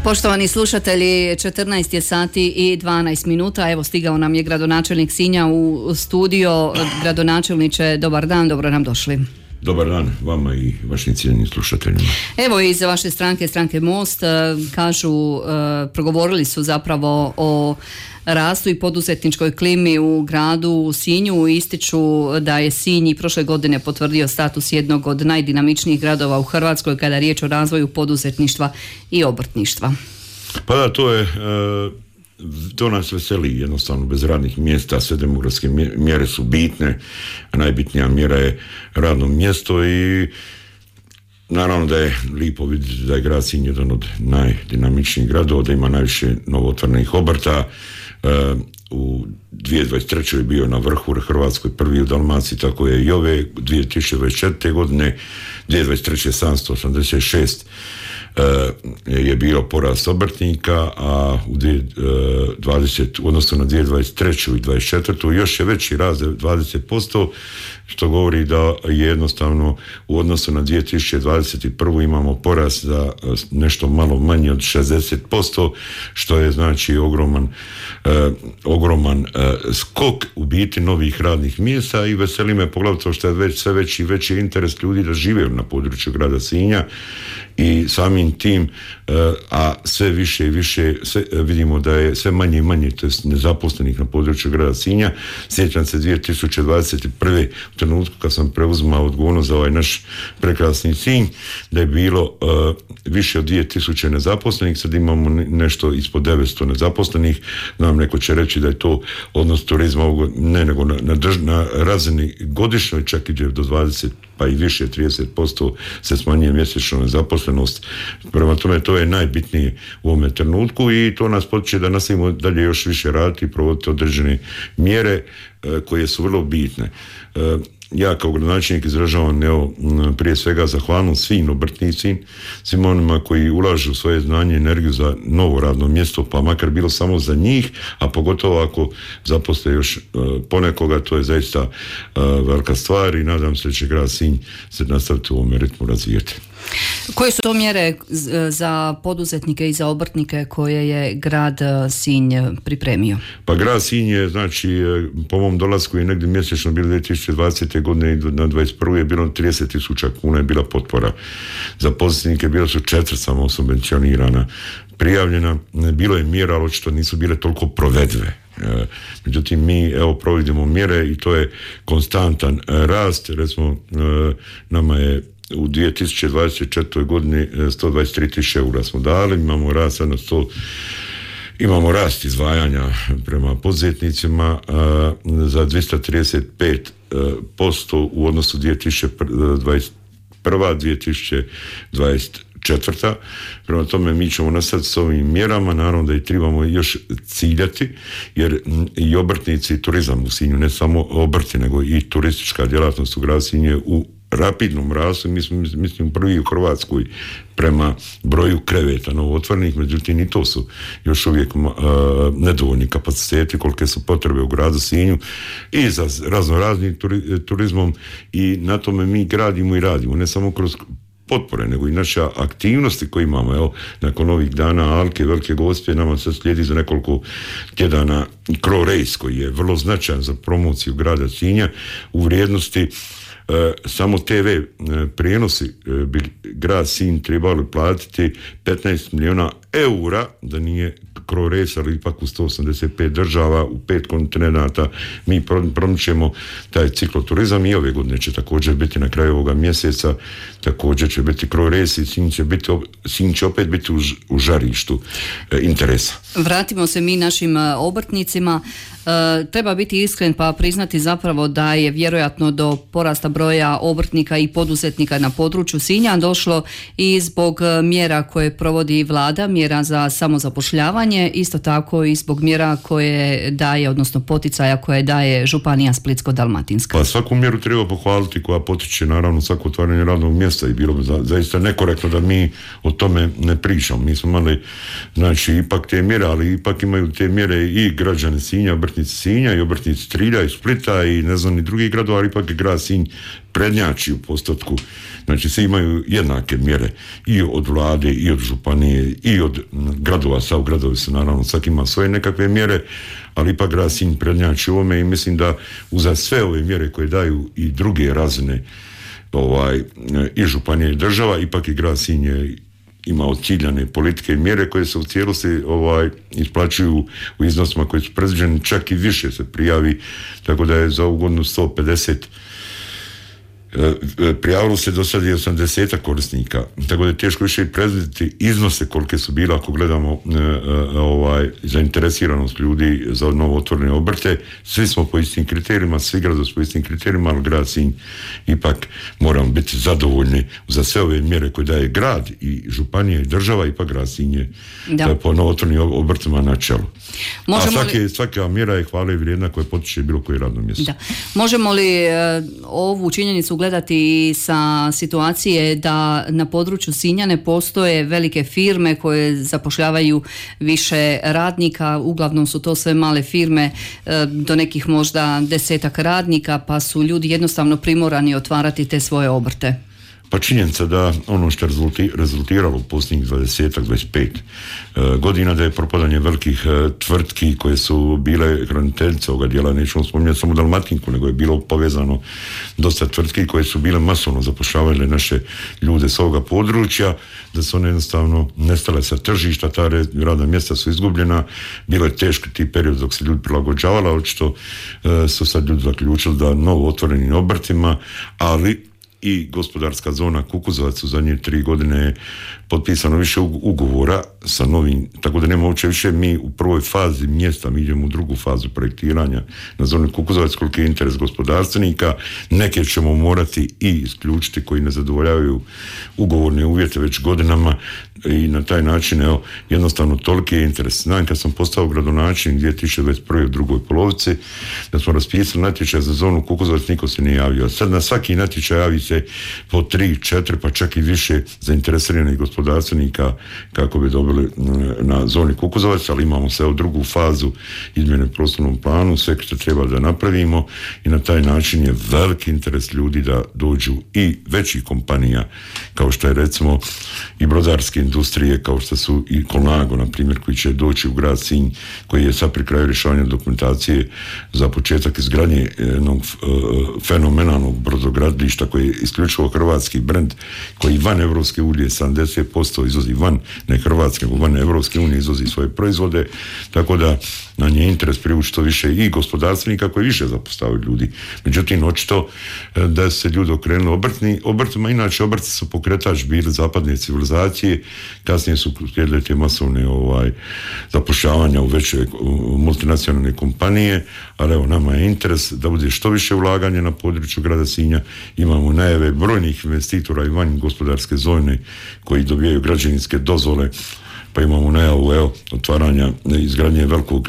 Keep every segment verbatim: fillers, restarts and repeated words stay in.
Poštovani slušatelji, četrnaest je sati i dvanaest minuta. Evo, stigao nam je gradonačelnik Sinja u studio. Gradonačelniče, dobar dan, dobro nam došli. Dobar dan vama i vašim cijenjenim slušateljima. Evo, iz vaše stranke, stranke Most, kažu, progovorili su zapravo o rastu i poduzetničkoj klimi u gradu u Sinju. Ističu da je Sinj i prošle godine potvrdio status jednog od najdinamičnijih gradova u Hrvatskoj kada je riječ o razvoju poduzetništva i obrtništva. Pa da, to je... To nas veseli, jednostavno bez radnih mjesta, sve demografske mjere su bitne, a najbitnija mjera je radno mjesto i naravno da je lijepo vidjeti da je grad Sinj jedan od najdinamičnijih gradova, da ima najviše novotvornih obrta. U dvije tisuće dvadeset trećoj je bio na vrhu Hrvatskoj, prvi u Dalmaciji, tako je i ove dvije tisuće dvadeset četvrte godine, dvije tisuće dvadeset treće sedamsto osamdeset šest je bilo porast obrtnika, a u dvadesete u odnosu na dvije tisuće dvadeset treću i dvadeset četvrtu još je veći rast dvadeset posto, što govori da je jednostavno u odnosu na dvije tisuće dvadeset prvu imamo porast za nešto malo manje od šezdeset posto, što je znači ogroman eh, ogroman eh, skok u biti novih radnih mjesta i veseli me poglavito što je već sve veći i veći interes ljudi da žive na području grada Sinja i samim tim, a sve više i više sve, vidimo da je sve manje i manje, to je nezaposlenih na području grada Sinja. Sjećam se dvije tisuće dvadeset prve u trenutku kad sam preuzimao odgovornost za ovaj naš prekrasni Sinj, da je bilo uh, više od dvije tisuće nezaposlenih, sad imamo nešto ispod devetsto nezaposlenih. Znam, neko će reći da je to odnos turizma, ne nego na, na, drž, na razini godišnjoj, čak ide do dvadeset pa i više, trideset posto se smanjuje mjesečno nezaposlenost. Prema tome, to je najbitnije u ovome trenutku i to nas potiče da nastavimo dalje još više raditi i provoditi određene mjere e, koje su vrlo bitne. E, ja kao gradonačelnik izražavam evo, prije svega zahvalnost svim obrtnicima, svim onima koji ulažu svoje znanje i energiju za novo radno mjesto, pa makar bilo samo za njih, a pogotovo ako zaposle još uh, ponekoga, to je zaista uh, velika stvar i nadam se da će grad Sinj se nastaviti u ovome ritmu razvijeti. Koje su to mjere za poduzetnike i za obrtnike koje je grad Sinj pripremio? Pa grad Sinj je, znači, po mom dolasku je negdje mjesečno bilo dvije tisuće dvadesete godine i na dvadeset prvu je bilo trideset tisuća kuna je bila potpora. Za poduzetnike bilo su četiri samo subvencionirana prijavljena, bilo je mjera, ali očito nisu bile toliko provedive. Međutim, mi evo provodimo mjere i to je konstantan rast. Recimo, nama je u dvije tisuće dvadeset četvrtoj godini sto dvadeset tri tisuće eura smo dali, imamo rast na sto, imamo rast izdvajanja prema poduzetnicima a, za dvjesto trideset pet posto u odnosu dvije tisuće dvadeset prva dvije tisuće dvadeset četvrta. Prema tome mi ćemo nastaviti s ovim mjerama, naravno da i trebamo još ciljati, jer i obrtnici i turizam u Sinju, ne samo obrti, nego i turistička djelatnost u gradu Sinju u rapidnom rastu. Mi smo, mislim, prvi u Hrvatskoj prema broju kreveta novootvorenih, međutim i to su još uvijek uh, nedovoljni kapaciteti kolike su potrebe u gradu Sinju i za razno raznim turi, turizmom i na tome mi gradimo i radimo, ne samo kroz potpore, nego i naše aktivnosti koje imamo. Evo, nakon ovih dana Alke, Velike Gospe, nama se slijedi za nekoliko tjedana Cro Race, koji je vrlo značajan za promociju grada Sinja u vrijednosti E, samo te ve e, prijenosi e, bi grad Sinj trebali platiti petnaest milijuna eura da nije Cro Race, ali ipak u sto osamdeset pet država, u pet kontinenata mi promičemo taj cikloturizam i ove godine će također biti na kraju ovoga mjeseca, također će biti Cro Race i Sinj će, biti, Sinj će opet biti u, u žarištu e, interesa. Vratimo se mi našim obrtnicima. E, treba biti iskren pa priznati zapravo da je vjerojatno do porasta broja obrtnika i poduzetnika na području Sinja došlo i zbog mjera koje provodi vlada, mjera za samozapošljavanje, isto tako i zbog mjera koje daje, odnosno poticaja koje daje županija Splitsko-dalmatinska. Pa svaku mjeru treba pohvaliti koja potiče naravno svako otvaranje radnog mjesta i bilo bi za, zaista nekorektno da mi o tome ne pričamo. Mi smo imali, znači, ipak te mjere, ali ipak imaju te mjere i građani Sinja, obrtnici Sinja i obrtnici Trilja i Splita i ne znam ni drugih gradova, ali ipak je grad Sinj prednjači u postotku. Znači svi imaju jednake mjere i od vlade, i od županije, i od gradova. Sav gradovi su naravno, svaki ima svoje nekakve mjere, ali ipak grad Sinj prednjači u ovome i mislim da uza sve ove mjere koje daju i druge razine ovaj, i županije i država, ipak i grad Sinj je imao ciljane politike i mjere koje se u cijelosti ovaj, isplaćuju u iznosima koji su predviđeni, čak i više se prijavi, tako da je za ovu godinu sto pedeset prijavilo se do sada i osamdeset korisnika, tako da je teško više i predvidjeti iznose kolike su bile ako gledamo e, e, ovaj, zainteresiranost ljudi za novo otvorene obrte. Svi smo po istim kriterijima, svi gradovi su po istim kriterijima, ali grad Sinj ipak moramo biti zadovoljni za sve ove mjere koje daje grad i županija i država, ipak grad Sinj je po novo otvorenim obrtima na čelu. Možemo A svake, li... svaka mjera je hvale vrijedna koja potiče bilo koje radno mjesto. Da. Možemo li e, ovu činjenicu gledati sa situacije da na području Sinja ne postoje velike firme koje zapošljavaju više radnika, uglavnom su to sve male firme do nekih možda desetak radnika, pa su ljudi jednostavno primorani otvarati te svoje obrte? Pa činjenica da ono što je rezultiralo u posljednjih dvadeset do dvadeset pet godina da je propadanje velikih tvrtki koje su bile hraniteljice ovoga dijela, nećemo spominjati samo Dalmatinku, nego je bilo povezano dosta tvrtki koje su bile masovno zapošljavale naše ljude s ovoga područja, da su one jednostavno nestale sa tržišta, ta radna mjesta su izgubljena, bilo je teško ti period dok se ljudi prilagođavali, očito su sad ljudi zaključili da novo otvorenim obrtima, ali i gospodarska zona Kukuzovac u zadnje tri godine je potpisano više ugovora sa novim, tako da nema uopće više mi u prvoj fazi mjesta, mi idemo u drugu fazu projektiranja na zoni Kukuzovac, koliki je interes gospodarstvenika, neke ćemo morati i isključiti koji ne zadovoljavaju ugovorne uvjete već godinama i na taj način evo, jednostavno toliki je interes. Znam kad sam postao gradonačelnik dvije tisuće dvadeset prve u drugoj polovici da smo raspisali natječaj za zonu Kukuzovac, niko se nije javio. Sad na svaki natječaj javi se po tri, četiri pa čak i više zainteresiranih gospodarstvenika kako bi dobili na zoni Kukuzovac, ali imamo sve u drugu fazu izmjene prostornom planu, sve što treba da napravimo i na taj način je veliki interes ljudi da dođu i većih kompanija kao što je recimo i brodarske industrije kao što su i Colnago na primjer koji će doći u grad Sinj koji je sad pri kraju rješavanja dokumentacije za početak izgradnje jednog fenomenalnog brodogradilišta koji je isključivo hrvatski brend koji van Evropske unije sedamdeset posto izvozi van, ne Hrvatske, nego van Evropske unije izvozi svoje proizvode, tako da na nje interes privući to više i gospodarstvenika koji više zapostavljaju ljudi. Međutim, očito da se ljudi okrenuli obrtni, obrtima, inače obrti su pokretač bili zapadne civilizacije, kasnije su slijedile te masovne ovaj, zapošljavanja u veće u multinacionalne kompanije, ali evo nama je interes da bude što više ulaganja na području grada Sinja, imamo najave brojnih investitora i van gospodarske zone koji dobijaju građevinske dozvole, pa imamo najavu evo, otvaranja izgradnje velikog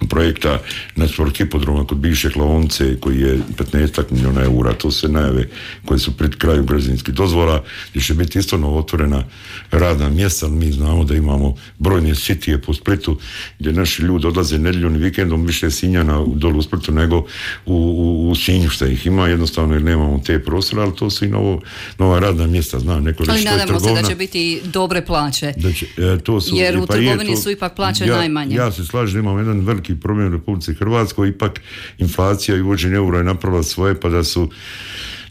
projekta na sport hipodroma kod bivše klaonice koji je petnaest milijuna eura, to su najave koje su pred kraju građevinskih dozvola gdje će biti isto novo otvorena radna mjesta, ali mi znamo da imamo brojne sitije po Splitu gdje naši ljudi odlaze nedjeljom i vikendom više Sinjana dolu u Splitu nego u, u, u Sinju što ih ima, jednostavno jer nemamo te prostore, ali to su i novo, nova radna mjesta, znam neko reći. Ali nadamo se da će biti dobre plaće, da će, e, to su, jer u pa trgovini je, to, su ipak plaće ja, najmanje. Ja se slažem, imamo jedan veliki problem u Republici Hrvatskoj, ipak inflacija i uvođenje eura je napravila svoje, pa da su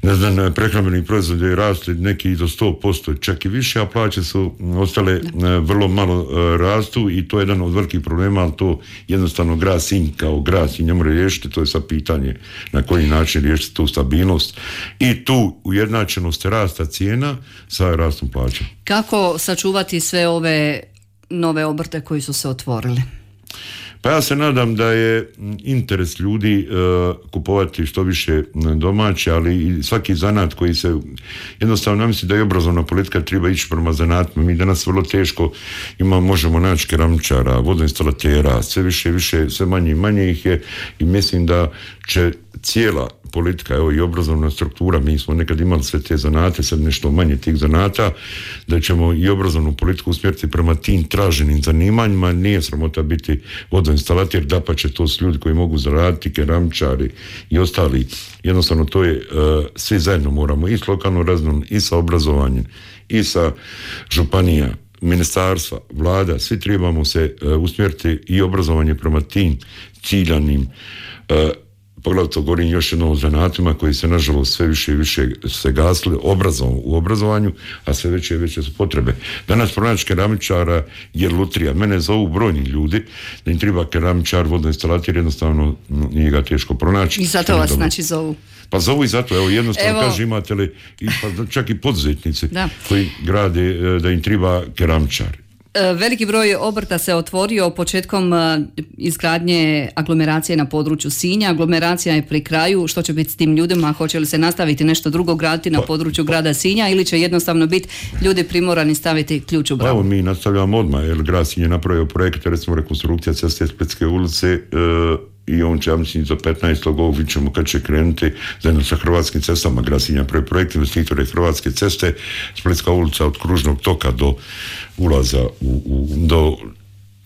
ne znam, prehrambeni proizvodi rasli neki do sto posto, čak i više, a plaće su ostale da. vrlo malo rastu i to je jedan od velikih problema, ali to jednostavno grad Sinj kao grad Sinj ne može riješiti, to je sad pitanje na koji način riješiti tu stabilnost i tu ujednačenost rasta cijena sa rastom plaća. Kako sačuvati sve ove nove obrte koji su se otvorili? Pa ja se nadam da je interes ljudi uh, kupovati što više domaće, ali i svaki zanat koji se, jednostavno ja mislim da je obrazovna politika treba ići prema zanatima. Mi danas vrlo teško ima, možemo naći keramičara, vodoinstalatera, sve više više, sve manje i manje ih je i mislim da će cijela politika, evo i obrazovna struktura, mi smo nekad imali sve te zanate, sad nešto manje tih zanata, da ćemo i obrazovnu politiku usmjeriti prema tim traženim zanimanjima. Nije sramota biti vodoinstalater, dapače, to su ljudi koji mogu zaraditi, keramičari i ostali. Jednostavno to je, uh, svi zajedno moramo i s lokalnom razinom, i sa obrazovanjem, i sa županija, ministarstva, vlada, svi trebamo se uh, usmjeriti i obrazovanje prema tim ciljanim, uh, poglavito govorim još jednom o zanatima koji se nažalost sve više i više se gasli obrazom, u obrazovanju, a sve veće i veće su potrebe. Danas pronaći keramičara je lutrija. Mene zovu brojni ljudi da im treba keramičar, vodoinstalater, jednostavno nije ga teško pronaći. I zato vas znači zovu. Pa zovu i zato, evo jednostavno evo... kaže imate li, i, pa čak i poduzetnici da. koji grade da im treba keramičar. Veliki broj obrta se otvorio početkom izgradnje aglomeracije na području Sinja. Aglomeracija je pri kraju. Što će biti s tim ljudima? Hoće li se nastaviti nešto drugo graditi na području grada Sinja ili će jednostavno biti ljudi primorani staviti ključ u bravu? Evo mi nastavljamo odmah, jer grad Sinj je napravio projekt, recimo rekonstrukcija ceste Splitske ulice, e, i on će, ja mislim, za petnaestog ovog vidjet ćemo kad će krenuti zajedno sa Hrvatskim cestama. Grad Sinj napravio projekt, investitore Hrvatske ceste, Splitska ulica od kružnog toka do ulaza u, u, do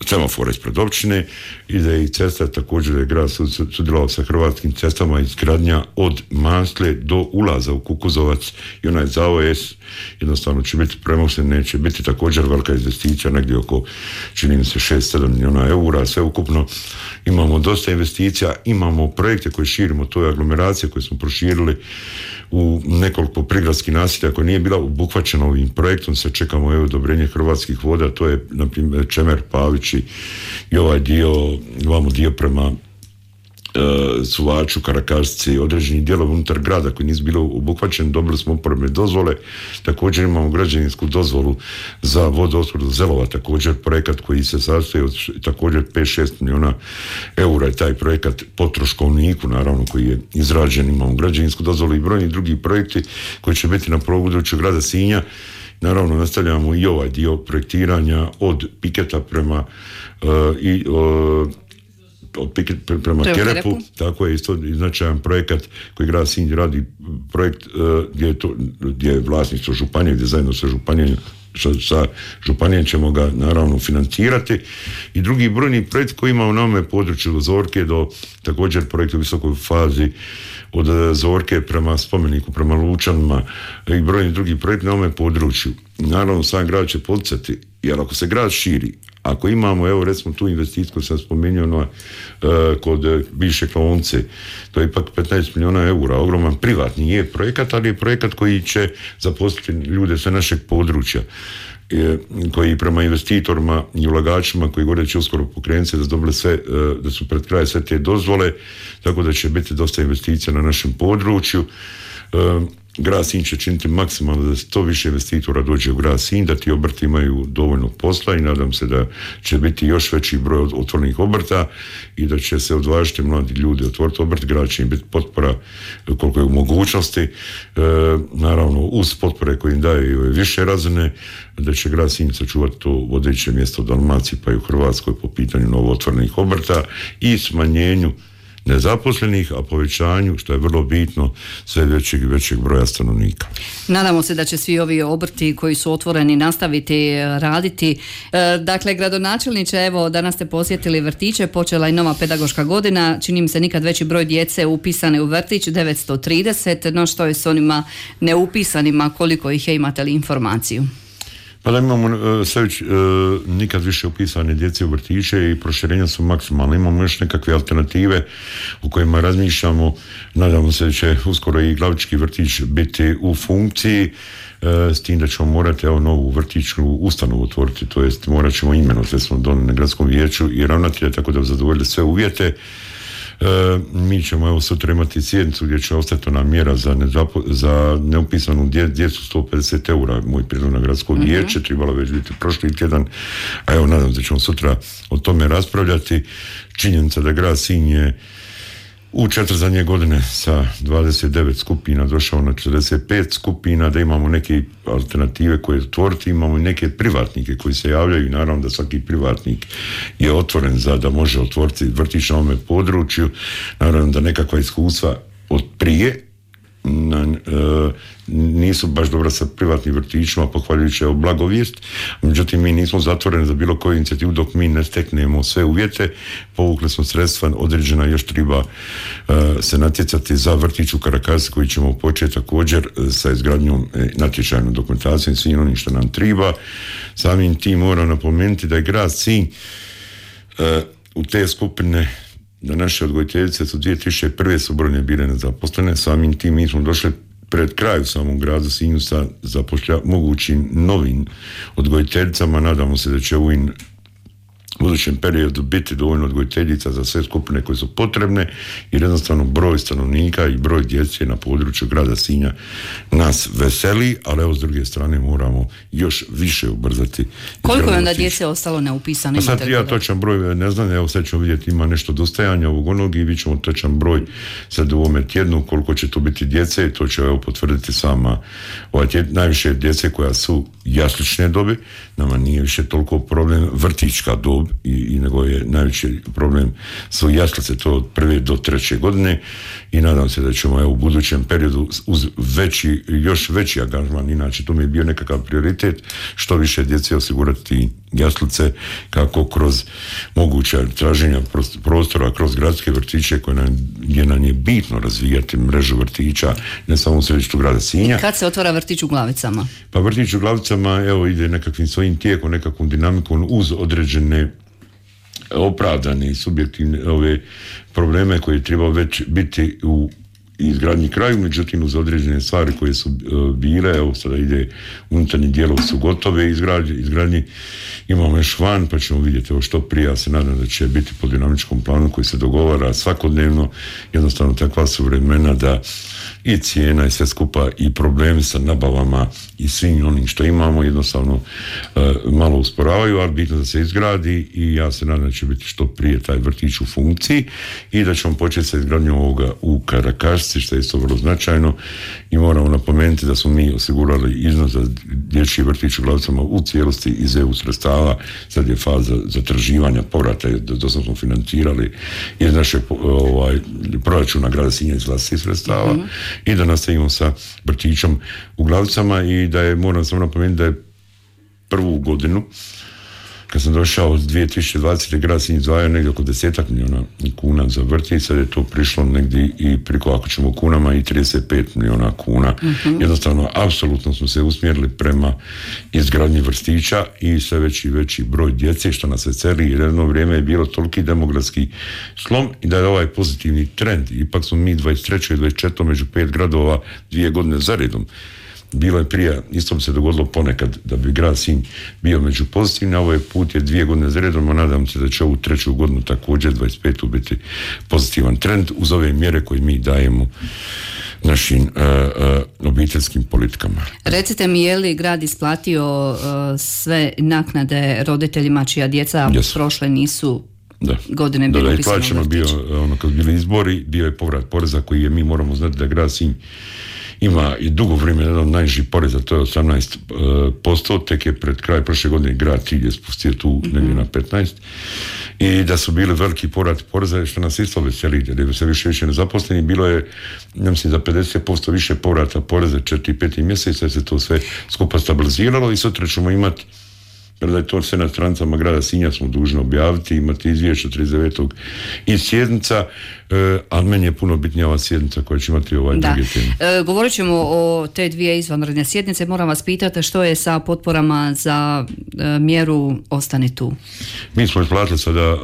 semafora ispred općine, i da je i cesta, također je grad sudjelovao sa Hrvatskim cestama, izgradnja od Masle do ulaza u Kukuzovac i onaj zavoj S jednostavno će biti premošten, neće biti također velika investicija, negdje oko, čini mi se, šest sedam milijuna eura, sve ukupno. Imamo dosta investicija, imamo projekte koje širimo, to je aglomeracija koju smo proširili u nekoliko prigradskih naselja koja nije bila obuhvaćena ovim projektom, se čekamo evo odobrenje Hrvatskih voda, to je na primjer Čemer, Pavići i ovaj dio, imamo dio prema Uh, Suvaču, Karakašici, određeni dijelovi unutar grada koji nisu bili obuhvaćeni, dobili smo uporabne dozvole, također imamo građevinsku dozvolu za vodoopskrbu Zelova, također projekat koji se sastoji od također pet šest milijuna eura je taj projekat po troškovniku, naravno, koji je izrađen, imamo građevinsku dozvolu i brojni drugi projekti koji će biti na području grada Sinja. Naravno, nastavljamo i ovaj dio projektiranja od piketa prema uh, i uh, od Piket prema Kerepu, Kerepu, tako je isto značajan projekat koji grad Sinj radi, projekt uh, gdje je to, gdje je vlasništvo županije, gdje zajedno sa županijom, sa, sa županijom ćemo ga naravno financirati, i drugi brojni projekt koji ima u nome području od Zorke do također projekt u visokoj fazi od Zorke prema spomeniku, prema Lučanima i brojni drugi projekt na ovome području. Naravno, sam grad će poticati, jer ako se grad širi, ako imamo, evo recimo tu investiciju koju sam spomenuo no, uh, kod uh, bivše klaonice, to je ipak petnaest milijuna eura, ogroman privatni je projekat, ali je projekat koji će zaposliti ljude sa našeg područja, e, koji prema investitorima i ulagačima koji gore će uskoro pokrenuti da su dobili sve, uh, da su pred kraj sve te dozvole, tako da će biti dosta investicija na našem području. Uh, Grad Sinj će činiti maksimalno da što više investitora dođe u grad Sinj, da ti obrti imaju dovoljno posla, i nadam se da će biti još veći broj otvorenih obrta i da će se odvažiti mladi ljudi otvoriti obrt. Grad će im biti potpora koliko je u mogućnosti, e, naravno uz potpore koje im daje više razine, da će grad Sinj sačuvati to vodeće mjesto u Dalmaciji pa i u Hrvatskoj po pitanju novootvorenih obrta i smanjenju nezaposlenih, a povećanju, što je vrlo bitno, sve većeg i većeg broja stanovnika. Nadamo se da će svi ovi obrti koji su otvoreni nastaviti raditi. E, dakle, gradonačelniče, evo, danas ste posjetili vrtiće, počela je nova pedagoška godina, čini mi se nikad veći broj djece upisane u vrtić, devetsto trideset, no što je s onima neupisanima, koliko ih je, imate li informaciju? Pa da imamo sve već, nikad više upisane djece u vrtiće i proširenja su maksimalne. Imamo još nekakve alternative u kojima razmišljamo. Nadamo se da će uskoro i Glavički vrtić biti u funkciji, s tim da ćemo morati evo, novu vrtićku ustanovu otvoriti, to jest morat ćemo imenovati, sve smo donijeli na gradskom vijeću i ravnatelja, tako da zadovoljili sve uvjete. E, mi ćemo evo sutra imati sjednicu gdje će ostati ona mjera za, nezapo, za neupisanu dje, djecu sto pedeset eura, moj prijedlog na gradsko mm-hmm. vijeće, trebalo već biti prošli tjedan, a evo nadam se da ćemo sutra o tome raspravljati. Činjenica da grad Sinj je u četiri zadnje godine sa dvadeset devet skupina došao na četrdeset pet skupina, da imamo neke alternative koje otvoriti, imamo i neke privatnike koji se javljaju i naravno da svaki privatnik je otvoren za da može otvoriti vrtić na ovome području, naravno da nekakva iskustva od prije, na, e, nisu baš dobro sa privatnim vrtićima, pohvaljujući evo blagovijest, međutim mi nismo zatvoreni za bilo koju inicijativu dok mi ne steknemo sve uvjete. Povukli smo sredstva, određena još treba e, se natjecati za vrtić u Karakasi koji ćemo početi također sa izgradnjom e, natječajnom dokumentacijom i svim onim što nam treba. Samim tim moram napomenuti da je grad Sinj e, u te skupine da naše odgojiteljice su dvije tisuće prve su brojne bile nezaposlene, samim tim mi smo došli pred kraju samom gradu Sinju sa zapošlja, mogućim novim odgojiteljicama. Nadamo se da će u ovim budućem periodu biti dovoljno odgojiteljica za sve skupine koje su potrebne, jer jednostavno broj stanovnika i broj djece na području grada Sinja nas veseli, ali evo s druge strane moramo još više ubrzati. Koliko je onda djece ostalo neupisano? Pa sad ja točan broj ne znam, evo sad ćemo vidjeti, ima nešto dostajanja ovog onog i vidjet ćemo točan broj sad u ovome tjednu, koliko će tu biti djece i to će evo potvrditi sama ovaj tjed, najviše djece koja su jaslične dobi, nama nije više toliko problem vrtićka dob, I, i nego je najveći problem su jaslice, to od prve do treće godine i nadam se da ćemo evo, u budućem periodu uz veći, još veći angažman, inače to mi je bio nekakav prioritet, što više djece osigurati jaslice kako kroz moguća traženja prostora kroz gradske vrtiće koje nam, gdje nam je bitno razvijati mrežu vrtića ne samo u središtu grada Sinja. I kad se otvara vrtić u Glavicama? Pa vrtić u Glavicama evo ide nekakvim svojim tijekom, nekakvom dinamikom uz određene opravdane i subjektivne ove probleme koje treba već biti u izgradnji kraju, međutim uz određene stvari koje su uh, bile, evo sada ide unutarnji dijelovi su gotove izgradnji, izgradnji imamo još van, pa ćemo vidjeti evo što prije, ja se nadam da će biti po dinamičkom planu koji se dogovara svakodnevno, jednostavno takva su vremena da i cijena i sve skupa i problemi sa nabavama i svim onim što imamo jednostavno uh, malo usporavaju, ali bitno da se izgradi i ja se nadam da će biti što prije taj vrtić u funkciji i da ćemo početi sa izgradnjom ovoga u Karakasci, što je isto vrlo značajno i moramo napomenuti da smo mi osigurali iznos za dječji vrtić u Glavicama u cijelosti iz E U sredstava, sad je faza zatraživanja povrata, do sad smo financirali iz našeg ovaj, proračuna grada Sinja iz vlastitih sredstava mm-hmm. i da nastavimo sa vrtićom u Glavicama i da je, moram samo napomenuti da je prvu godinu kad sam došao od dvije tisuće dvadesete grad Sinj izdvajao negdje oko desetak milijuna kuna za vrtić, sad je to prišlo negdje i priko, ako ćemo kunama, i trideset pet milijuna kuna. Mm-hmm. Jednostavno, apsolutno smo se usmjerili prema izgradnji vrtića i sve veći i veći broj djece, što nas veseli, jer jedno vrijeme je bilo toliki demografski slom i da je ovaj pozitivni trend. Ipak smo mi dvadeset treće i dvadeset četvrte među pet gradova dvije godine za redom. Bilo je prije, isto bi se dogodilo ponekad da bi grad Sinj bio među pozitivni, a ovaj put je dvije godine za redom, a nadam se da će ovu treću godinu također dvadeset petu biti pozitivan trend uz ove mjere koje mi dajemo našim uh, uh, obiteljskim politikama. Recite mi, je li grad isplatio uh, sve naknade roditeljima čija djeca yes. prošle nisu da. godine bilo upisano u vrtić? Da, da, i bio, ono, kad bili izbori, bio je povrat poreza koji je, mi moramo znati da grad Sinj ima i dugo vrijeme jedan od najnižih poreza, to je osamnaest posto, tek je pred kraj prošle godine grad Cilj je spustio tu mm-hmm. negdje na petnaest i da su bili veliki povrat poreza, što nas isto veseli, jer je sve više više nezaposleni, bilo je, ne mislim, za pedeset posto više povrata poreza četiri i pet mjeseca, se to sve skupa stabiliziralo i sutra ćemo imati, jer da je to sve na stranicama grada Sinja smo dužni objaviti, imati izvješće trideset devetog i sjednica, e, a meni je puno bitnija ova sjednica koja će imati ovaj drugi teme. E, govorit ćemo o te dvije izvanredne sjednice, moram vas pitati što je sa potporama za e, mjeru Ostani tu. Mi smo isplatili sada e,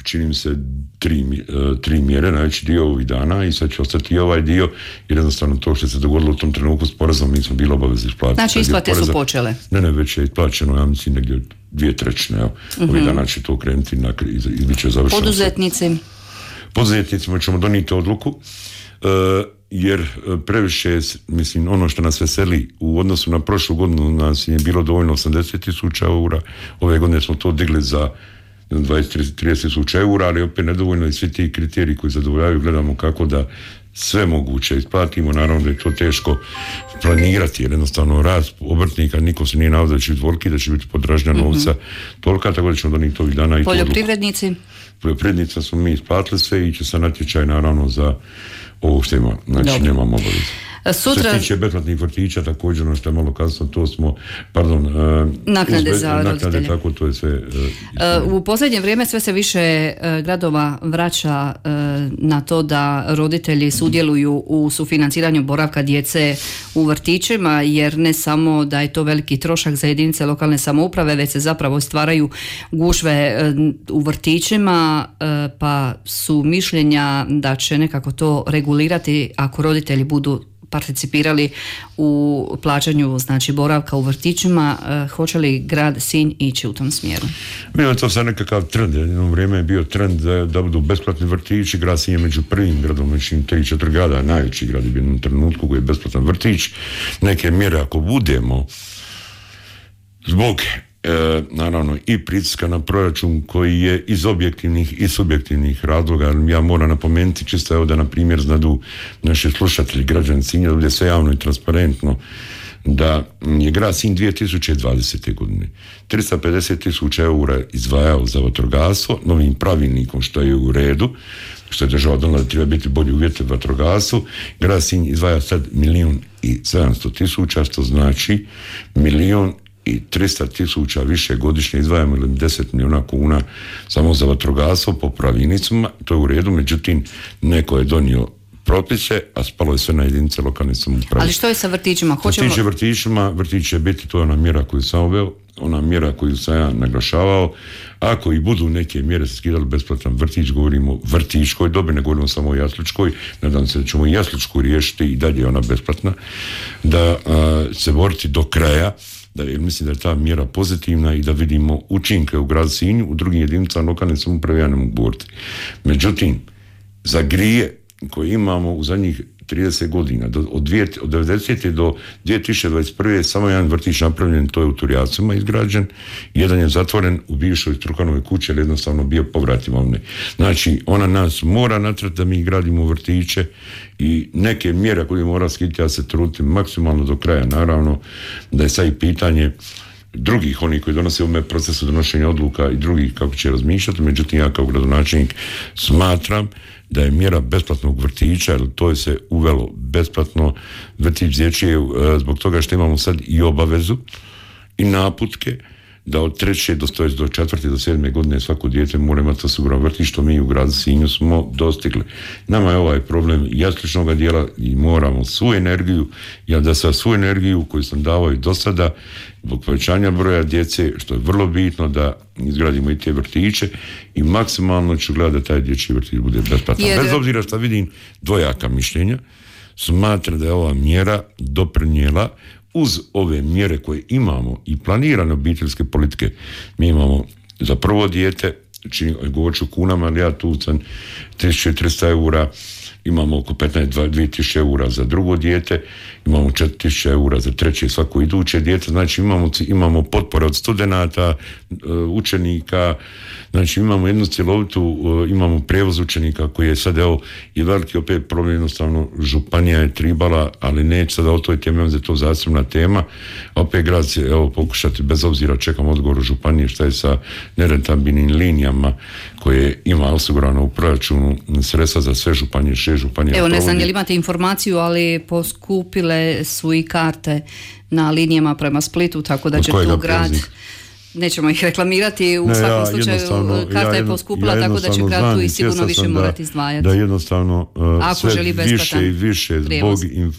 čini mi se tri, uh, tri mjere, najveći dio ovih dana i sad će ostati i ovaj dio jer jednostavno to što se dogodilo u tom trenutku s porezom mi smo bili obavezni isplatiti. Znači isplate su počele? Ne, ne, već je isplaćeno, ja mislim negdje dvije trećine, evo. Mm-hmm. Ovih dana će to krenuti na, i bit će završeno. Poduzetnici? Poduzetnicima ćemo donijeti odluku uh, jer previše, mislim, ono što nas veseli u odnosu na prošlu godinu nas je bilo dovoljno osamdeset tisuća eura, ove godine smo to digli za dvadeset do trideset tisuća eura, ali opet nedovoljno i svi ti kriteriji koji zadovoljavaju gledamo kako da sve moguće isplatimo. Naravno da je to teško planirati, jer jednostavno rast obrtnika, niko se nije naveo da će biti toliki, da će biti podražnja novca mm-hmm. tolika, tako da ćemo donijeti ovih dana i poljoprivrednici. Poljoprivrednica smo mi isplatili sve i će sa natječaj naravno za ovo što ima, znači Dobre. Nemamo obavezu. Sutra... Što se tiče besplatnih vrtića, također ono što je malo kasno, to smo, pardon, naknade izbe, za naknade, roditelje. Tako, to je sve... Uh, u posljednje vrijeme sve se više uh, gradova vraća uh, na to da roditelji sudjeluju u sufinanciranju boravka djece u vrtićima, jer ne samo da je to veliki trošak za jedinice lokalne samouprave, već se zapravo stvaraju gužve uh, u vrtićima, uh, pa su mišljenja da će nekako to regulirati ako roditelji budu participirali u plaćanju, znači, boravka u vrtićima. E, hoće li grad Sinj ići u tom smjeru? Bilo je to sad nekakav trend. Jedno vrijeme je bio trend da, da budu besplatni vrtići. Grad Sinj je među prvim gradom, među tri četiri grada, najveći grad je bio u trenutku koji je besplatan vrtić. Neke mjere ako budemo zbog E, naravno i pritiska na proračun koji je iz objektivnih i subjektivnih razloga. Ja moram napomenuti čisto evo da na primjer znadu naši slušatelji, građani Sinja, da bude sve javno i transparentno, da je grad Sinj dvije tisuće dvadesete. godine tristo pedeset tisuća eura izdvajao za vatrogastvo novim pravilnikom, što je u redu, što je država donijela da treba biti bolji uvjeti u vatrogastvu. Grad Sinj izdvaja sad milijun i sedamsto tisuća, što znači milijun i tristo tisuća više godišnje izdvajamo ili deset milijuna kuna samo za vatrogastvo po pravilnicima, to je u redu, međutim neko je donio propise, a spalo je sve na jedinice lokalne samouprave. Ali što je sa vrtićima? Hoćemo... Vrtiće vrtićima, vrtić će biti, to je ona mjera koju sam uveo, ona mjera koju sam ja naglašavao. Ako i budu neke mjere se skidali besplatan vrtić, govorimo o vrtićkoj dobi, ne govorimo samo o jasličkoj, nadam se da ćemo i jasličku riješiti i dalje ona besplatna, da a, se boriti do kraja, da, jer mislim da je ta mjera pozitivna i da vidimo učinke u gradu Sinju, u drugim jedinicama lokalne samouprave ja ne mogu boriti. Međutim, za grije koje imamo u zadnjih trideset godina, do, od, dvije, od devedesete. do dvije tisuće dvadeset prve. samo jedan vrtić napravljen, to je u Turjacima izgrađen, jedan je zatvoren u bivšoj Strukanovoj kući, jer jednostavno bio povrat imovine. Znači, ona nas mora natrati da mi gradimo vrtiće i neke mjere koje mora skiti, ja se trudim maksimalno do kraja, naravno, da je sad i pitanje drugih, oni koji donose u ovome procesu donošenja odluka i drugih kako će razmišljati, međutim ja kao gradonačelnik smatram da je mjera besplatnog vrtića, jer to je se uvelo besplatno vrtić dječji zbog toga što imamo sad i obavezu i naputke da od treće do, do četvrte do sedme godine svako dijete mora imati osiguran vrtić, što mi u gradu Sinju smo dostigli. Nama je ovaj problem jasličnog dijela i moramo svu energiju, ja da sa svu energiju koju sam davao i do sada, zbog povećanja broja djece, što je vrlo bitno da izgradimo i te vrtiće i maksimalno ću gledati da taj dječji vrtić bude besplatan. Jer... Bez obzira što vidim dvojaka mišljenja, smatram da je ova mjera doprinijela uz ove mjere koje imamo i planirane obiteljske politike. Mi imamo za prvo dijete, govorit ću kunama, ali ja tu sam tisuću tristo eura, imamo oko petnaest do dvije tisuće eura za drugo dijete, imamo četiri tisuće eura za treće svako iduće dijete, znači imamo, imamo potpore od studenata, učenika, znači imamo jednu cjelovitu, imamo prijevoz učenika koji je sad evo i veliki opet problem, jednostavno županija je tribala, ali neće sada o toj temi, za to zasebna tema, opet grad će evo pokušati, bez obzira čekam odgovor županije šta je sa nerentabilnim linijama koje ima osigurano u proračunu sredstva za sve županije, šest županija. Evo ne znam je li imate informaciju, ali poskupile su i karte na linijama prema Splitu, tako da će tu grad... Nećemo ih reklamirati, u ne, svakom ja slučaju karta ja je poskupila, ja tako da će grad tu i sigurno više morati izdvajati. Da jednostavno uh, Ako sve više i više zbog inf,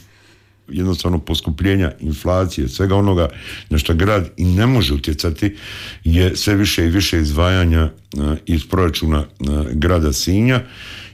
jednostavno poskupljenja inflacije, svega onoga na što grad i ne može utjecati, je sve više i više izdvajanja uh, iz proračuna uh, grada Sinja,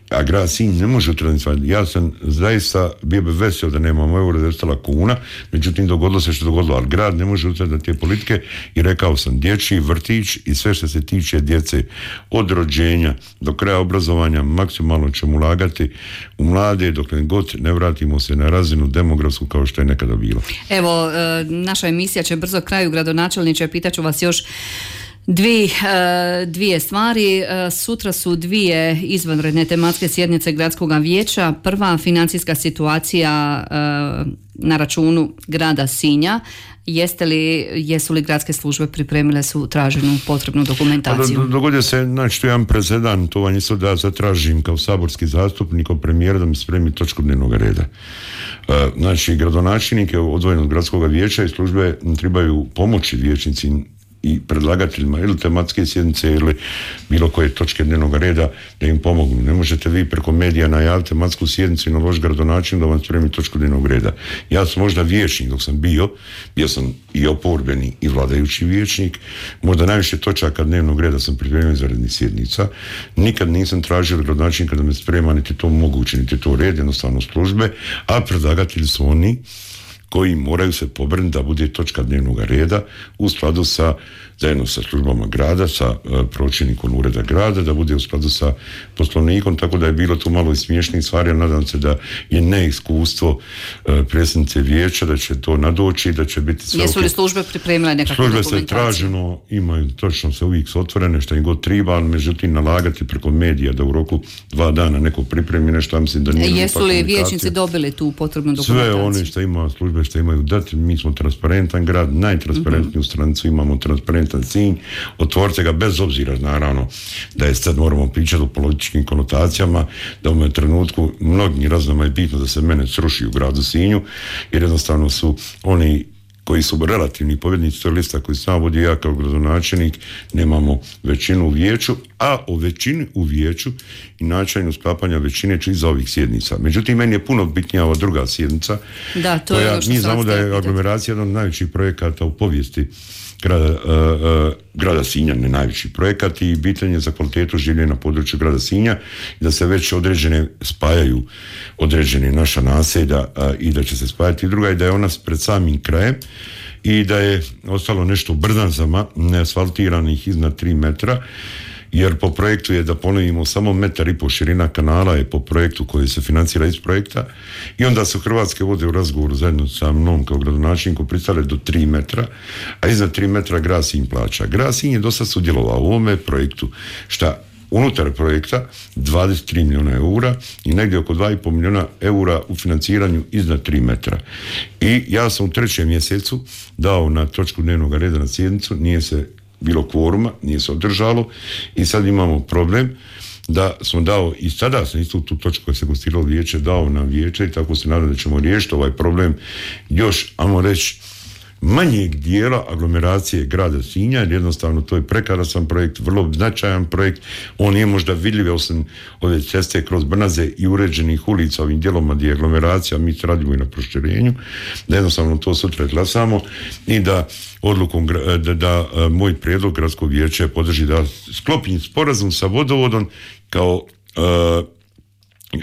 a grad Sinj ne može utjecati. Ja sam zaista bio bi vesel da nemamo euro, da je ostala kuna, međutim dogodilo se što dogodilo, ali grad ne može utjecati na te politike i rekao sam, dječji vrtić i sve što se tiče djece od rođenja do kraja obrazovanja maksimalno ćemo ulagati u mlade dok ne god ne vratimo se na razinu demografsku kao što je nekada bilo. Evo, naša emisija će brzo kraju, gradonačelniče, pitaću vas još Dvije, dvije stvari. Sutra su dvije izvanredne tematske sjednice gradskog vijeća. Prva, financijska situacija na računu grada Sinja. Jeste li, jesu li gradske službe pripremile su traženu potrebnu dokumentaciju? Pa dogodio se, znači, to je jedan presedan, to vam isto da ja zatražim kao saborski zastupnik od premijera da mi spremi točku dnevnog reda. Znači, gradonačelnike odvojenog gradskog vijeća i službe trebaju pomoći vijećnici i predlagateljima ili tematske sjednice ili bilo koje točke dnevnog reda da im pomognu. Ne možete vi preko medija najaviti tematsku sjednicu i naložiti gradonačelniku da vam spremi točku dnevnog reda. Ja sam možda vijećnik dok sam bio, bio sam i oporbeni i vladajući vijećnik, možda najviše točaka dnevnog reda sam pripremio izvanrednih sjednica. Nikad nisam tražio od gradonačelnika da me sprema, niti to moguće, niti to red, jednostavno službe, a predlagatelji su oni koji moraju se pobrinuti da bude točka dnevnog reda u skladu sa, zajedno sa službama grada, sa uh, pročelnikom ureda grada, da bude u skladu sa poslovnikom, tako da je bilo tu malo i smiješnih stvari, ali nadam se da je neiskustvo uh, predsjednice vijeća, da će to nadoći, da će biti sve. Jesu li službe pripremile nekakvu službe dokumentaciju? Službe se traženo, imaju, točno se uvijek su otvorene, što im god treba, ali međutim nalagati preko medija da u roku dva dana neko pripremi nešto, mislim da nije. Jesu li vijećnici dobili tu potrebnu dokumentaciju? Sve one što ima službe što imaju dati, mi smo transparentan grad, najtransparentniju mm-hmm. stranicu imamo, transparentan Sinj, otvorite ga bez obzira naravno da je sad moramo pričati o političkim konotacijama, da u ovom trenutku mnogim raznama je bitno da se mene sruši u gradu Sinju, jer jednostavno su oni koji su relativni pobjednici tog lista koji sam vodio ja kao gradonačelnik, nemamo većinu u vijeću, a o većini u vijeću i načinu sklapanja većine ću iza ovih sjednica. Međutim, meni je puno bitnija ova druga sjednica. Da, to koja, je ono što mi znamo da je aglomeracija jedan od najvećih projekata u povijesti grada, uh, uh, grada Sinja, ne najveći projekat, i bitan je za kvalitetu življenja na području grada Sinja, da se već određene spajaju određene naša naselja uh, i da će se spajati. Druga je da je ona pred samim krajem i da je ostalo nešto u brdanzama neasfaltiranih iznad tri metra, jer po projektu je, da ponovimo, samo metar i po širina kanala je po projektu koji se financira iz projekta, i onda su Hrvatske vode u razgovoru zajedno sa mnom kao gradonačelnikom pristale do tri metra, a iznad tri metra grad Sinj plaća. Grad Sinj je dosta sudjelovao u ovome projektu, šta unutar projekta dvadeset tri milijuna eura i negdje oko dva i pol milijuna eura u financiranju iznad tri metra. I ja sam u trećem mjesecu dao na točku dnevnog reda na sjednicu, nije se bilo kvoruma, nije se održalo, i sad imamo problem da smo dao, i sada sam isto tu točku koja se konstituiralo vijeće dao na vijeće, i tako se nadam da ćemo riješiti ovaj problem još, ajmo reći, manjeg dijela aglomeracije grada Sinja, jer jednostavno to je prekrasan projekt, vrlo značajan projekt. On je možda vidljiv osim ove ceste kroz Brnaze i uređenih ulica ovim dijeloma gdje je aglomeracija, mi se radimo i na proširenju, da jednostavno to sutra glasamo i da odlukom da, da, da moj prijedlog gradskog vijeća podrži da sklopim sporazum sa vodovodom kao uh,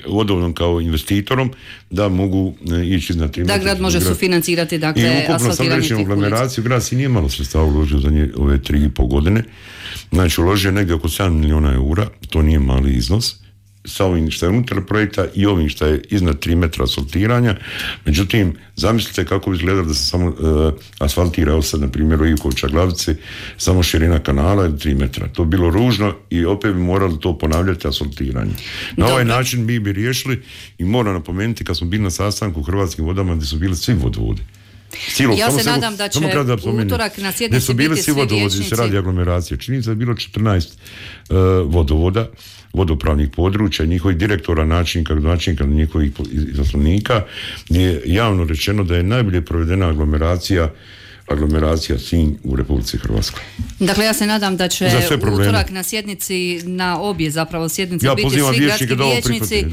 vodovodom kao investitorom, da mogu ići na tri. Da grad može sufinancirati, dakle, asfaltiranje tih ulica. I ukupno sam rečeno aglomeraciju, grad si nije malo sredstava uložio za nje ove tri i pol godine. Znači, uložio negdje oko sedam milijuna eura, to nije mali iznos, sa ovim što je unutar projekta i ovim što je iznad tri metra asfaltiranja. Međutim, zamislite kako bi izgledalo da se samo uh, asfaltira, evo sad na primjer u Ivkovića Glavici, samo širina kanala je tri metra. To bi bilo ružno i opet bi morali to ponavljati, asfaltiranje. Na Dobre. ovaj način mi bi riješili, i moram napomenuti kad smo bili na sastanku u Hrvatskim vodama gdje su bili svi vodovodi. Silo, ja se nadam da će utorak na sjednici biti svi vijećnici. Se radi aglomeracije. Čini se da je bilo četrnaest uh, vodovoda, vodopravnih područja, njihovih direktora, načelnika, gradonačelnika, njihovih izaslannika, je javno rečeno da je najbolje provedena aglomeracija aglomeracija Sinj u Republici Hrvatskoj. Dakle, ja se nadam da će utorak na sjednici, na obje zapravo sjednice, ja biti svi gradski vijećnici.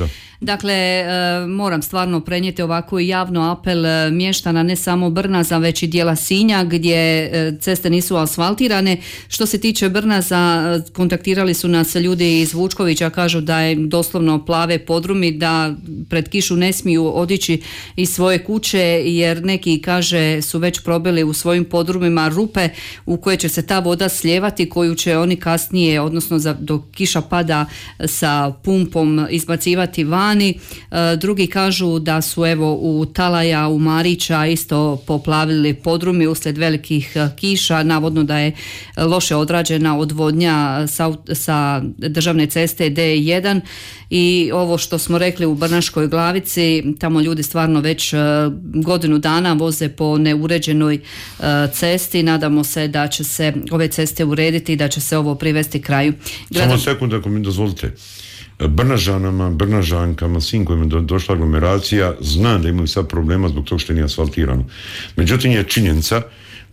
Dakle, e, moram stvarno prenijeti ovako javno apel mještana, ne samo Brnaza, već i dijela Sinja gdje e, ceste nisu asfaltirane. Što se tiče Brnaza, kontaktirali su nas ljudi iz Vučkovića, kažu da je doslovno plave podrumi, da pred kišu ne smiju odići iz svoje kuće, jer neki, kaže, su već probili u svoje svojim podrumima rupe u koje će se ta voda slijevati, koju će oni kasnije, odnosno za, dok kiša pada, sa pumpom izbacivati vani. E, drugi kažu da su evo u Talaja, u Marića isto poplavili podrumi uslijed velikih kiša, navodno da je loše odrađena odvodnja sa, sa državne ceste D jedan. I ovo što smo rekli u Brnaškoj Glavici, tamo ljudi stvarno već uh, godinu dana voze po neuređenoj uh, cesti. Nadamo se da će se ove ceste urediti i da će se ovo privesti kraju. Gledam... Samo sekund ako mi dozvolite. Brnažanama, Brnažankama, svim kojima je do, došla aglomeracija, znam da imaju sad problema zbog toga što nije asfaltirano. Međutim je činjenica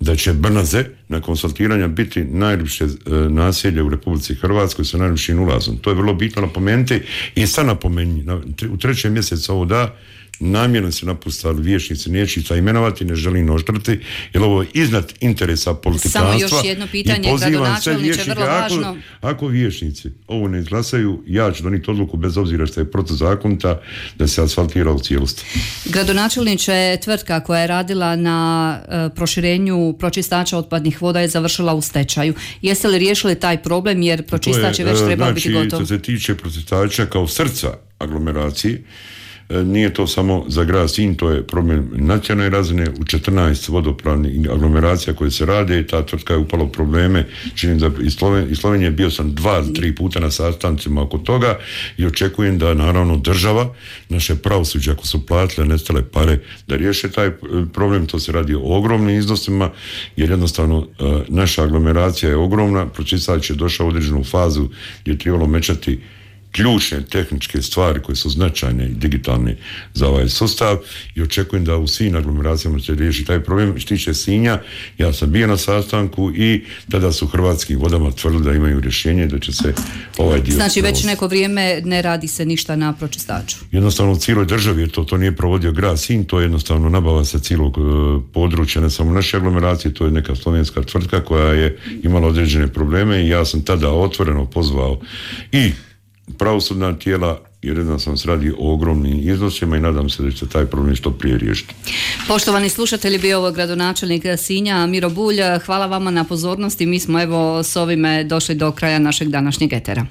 da će Brnaze nakon asfaltiranja biti najljepše e, naselje u Republici Hrvatskoj sa najljepšim ulazom. To je vrlo bitno napomenuti i sad napomeni, na, u trećem mjesecu ovo da, namjerno se napustali vijećnici, neću ih imenovati, ne želim oštriti, jer ovo je iznad interesa politikanstva. Samo još jedno pitanje, gradonačelniče, vrlo važno. Ako, ako vijećnici ovo ne izglasaju, ja ću donijeti odluku bez obzira što je protuzakonita da se asfaltira u cijelosti. Gradonačelniče, tvrtka koja je radila na uh, proširenju pročistača otpadnih voda je završila u stečaju. Jeste li riješili taj problem, jer pročistač je već trebao znači, biti gotov? Što se tiče pročistača kao srca aglomeracije, nije to samo za grad Sinj, to je problem nacionalne razine. U četrnaest vodopravnih aglomeracija koje se rade, ta tvrtka je upala u probleme. Činim da iz Slovenije, iz Slovenije bio sam dva, tri puta na sastancima oko toga i očekujem da naravno država, naše pravosuđe, ako su platile nestale pare, da riješe taj problem. To se radi o ogromnim iznosima, jer jednostavno naša aglomeracija je ogromna, pročistač je došao u određenu fazu gdje je trebalo mečati ključne tehničke stvari koje su značajne i digitalne za ovaj sustav i očekujem da u svim aglomeracijama se riješi taj problem. Što tiče Sinja, ja sam bio na sastanku i tada su Hrvatskim vodama tvrdili da imaju rješenje da će se ovaj dio... Znači već provoditi. Neko vrijeme ne radi se ništa na pročistaču. Jednostavno u cijeloj državi, jer to, to nije provodio grad Sinj, to je jednostavno nabava sa cijelog uh, područja, ne samo naše aglomeracije, to je neka slovenska tvrtka koja je imala određene probleme i ja sam tada otvoreno pozvao i pravosudna tijela, jer jednostavno se radi o ogromnim iznosima i nadam se da će se taj problem što prije riješiti. Poštovani slušatelji, bio ovo gradonačelnik Sinja Miro Bulj. Hvala vama na pozornosti. Mi smo evo s ovime došli do kraja našeg današnjeg etera.